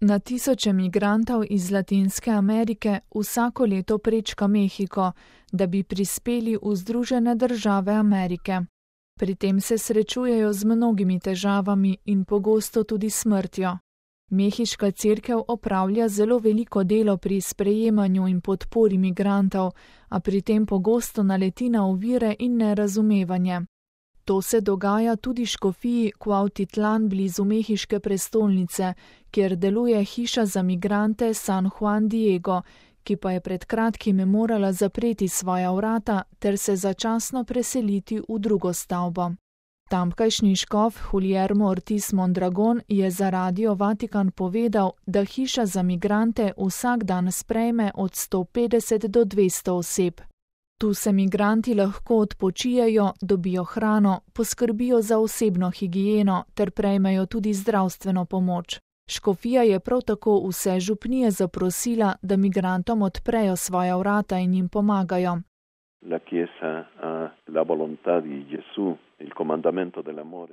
Na tisoče migrantov iz Latinske Amerike vsako leto prečka Mehiko, da bi prispeli v Združene države Amerike. Pri tem se srečujejo z mnogimi težavami in pogosto tudi smrtjo. Mehiška cerkev opravlja zelo veliko delo pri sprejemanju in podpori migrantov, a pri tem pogosto naleti na ovire in nerazumevanje. To se dogaja tudi škofiji Cuautitlán blizu mehiške prestolnice, kjer deluje hiša za migrante San Juan Diego, ki pa je pred kratkim morala zapreti svoja vrata ter se začasno preseliti v drugo stavbo. Tamkajšnji škof Guillermo Ortiz Mondragon je za Radio Vatikan povedal, da hiša za migrante vsak dan sprejme od 150 do 200 oseb. Tu se migranti lahko odpočijejo, dobijo hrano, poskrbijo za osebno higieno ter prejmejo tudi zdravstveno pomoč. Škofija je prav tako vse župnije zaprosila, da migrantom odprejo svoja vrata in jim pomagajo.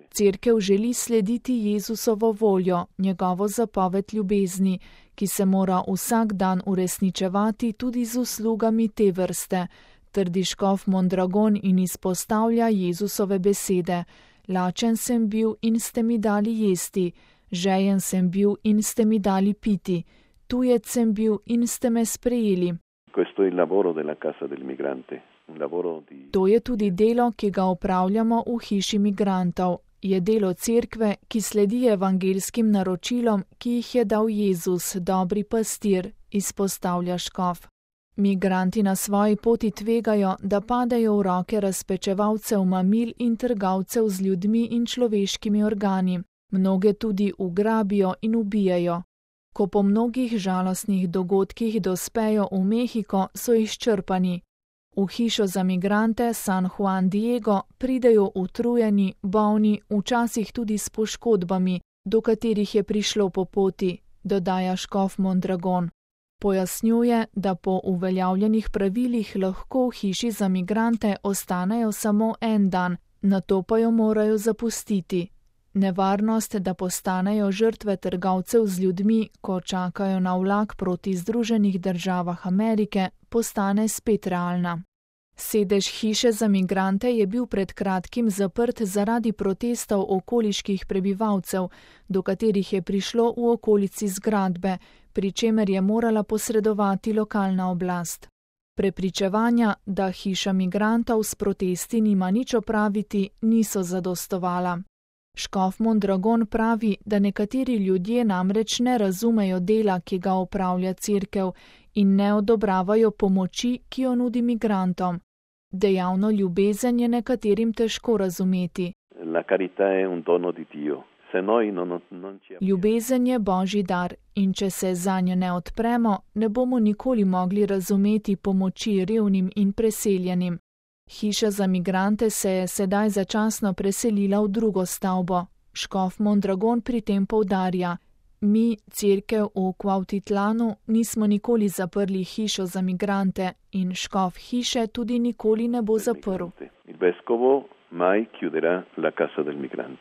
Cerkev želi slediti Jezusovo voljo, njegovo zapoved ljubezni, ki se mora vsak dan uresničevati tudi z uslugami te vrste, trdi škof Mondragon in izpostavlja Jezusove besede: Lačen sem bil in ste mi dali jesti, žejen sem bil in ste mi dali piti, tujec sem bil in ste me sprejeli. To je tudi delo, ki ga opravljamo v hiši migrantov. Je delo cerkve, ki sledi evangeljskim naročilom, ki jih je dal Jezus, dobri pastir, izpostavlja škof. Migranti na svoji poti tvegajo, da padejo v roke razpečevalcev mamil in trgovcev z ljudmi in človeškimi organi. Mnoge tudi ugrabijo in ubijajo. Ko po mnogih žalostnih dogodkih dospejo v Mehiko, so izčrpani. V hišo za migrante San Juan Diego pridejo utrujeni, bolni, včasih tudi s poškodbami, do katerih je prišlo po poti, dodaja škof Mondragon. Pojasnjuje, da po uveljavljenih pravilih lahko v hiši za migrante ostanejo samo en dan, nato pa jo morajo zapustiti. Nevarnost, da postanejo žrtve trgovcev z ljudmi, ko čakajo na vlak proti Združenih državah Amerike, postane spet realna. Sedež hiše za migrante je bil pred kratkim zaprt zaradi protestov okoliških prebivalcev, do katerih je prišlo v okolici zgradbe, pri čemer je morala posredovati lokalna oblast. Prepričevanja, da hiša migrantov s protesti nima nič opraviti, niso zadostovala. Škof Mondragon pravi, da nekateri ljudje namreč ne razumejo dela, ki ga opravlja cerkev, in ne odobravajo pomoči, ki jo nudi migrantom. Dejavno ljubezen je nekaterim težko razumeti. Ljubezen je Božji dar in če se zanjo ne odpremo, ne bomo nikoli mogli razumeti pomoči revnim in preseljenim. Hiša za migrante se je sedaj začasno preselila v drugo stavbo. Škof Mondragon pri tem poudarja: Mi, cerkev v Cuautitlánu, nismo nikoli zaprli hišo za migrante in škof hiše tudi nikoli ne bo zaprl.